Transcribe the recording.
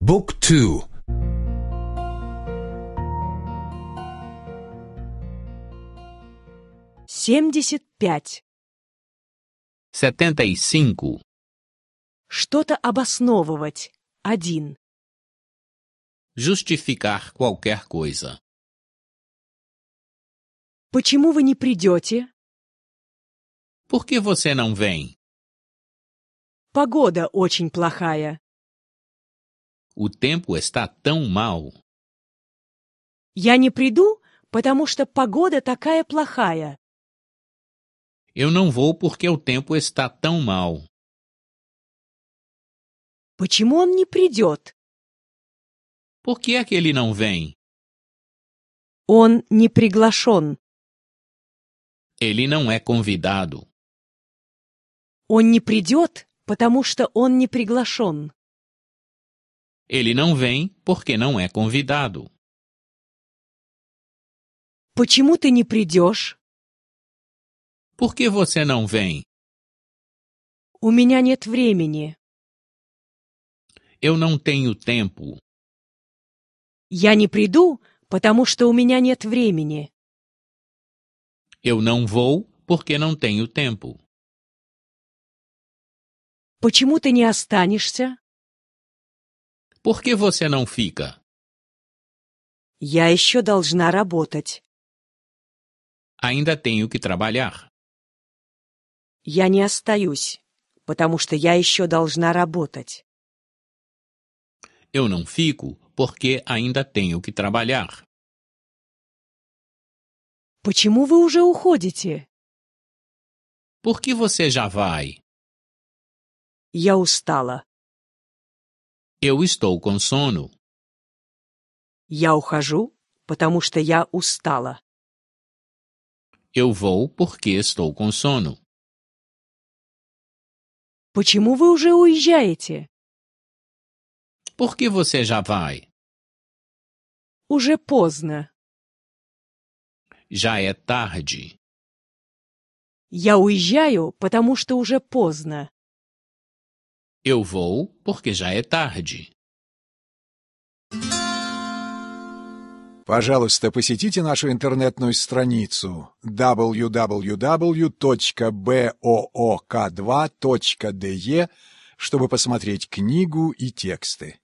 Book 2. 75. 75. Что-то обосновывать. 1. Justificar qualquer coisa. Почему вы не придете? Por que você não vem? Погода очень плохая. O tempo está tão mal. Я не приду, потому что погода такая плохая. Eu não vou porque o tempo está tão mal. Почему он не придет? Por que é que ele não vem? Он не приглашен. Ele não é convidado. Он не придет, потому что он не приглашен. Ele não vem porque não é convidado. Почему ты не придешь? Por que você não vem? У меня нет времени. Eu não tenho tempo. Я не приду, потому что у меня нет времени. Eu não vou porque não tenho tempo. Почему ты не останешься? Por que você não fica? Я еще должна работать. Ainda tenho que trabalhar. Я не остаюсь, потому что я еще должна работать. Eu não fico porque ainda tenho que trabalhar. Почему вы уже уходите? Por que você já vai? Я устала. Eu estou com sono. Я ухожу, потому что я устала. Eu vou porque estou com sono. Почему вы уже уезжаете? Por que você já vai? Уже поздно. Já é tarde. Я уезжаю, потому что уже поздно. Eu vou porque já é tarde. Пожалуйста, посетите нашу интернетную страницу www.book2.de, чтобы посмотреть книгу и тексты.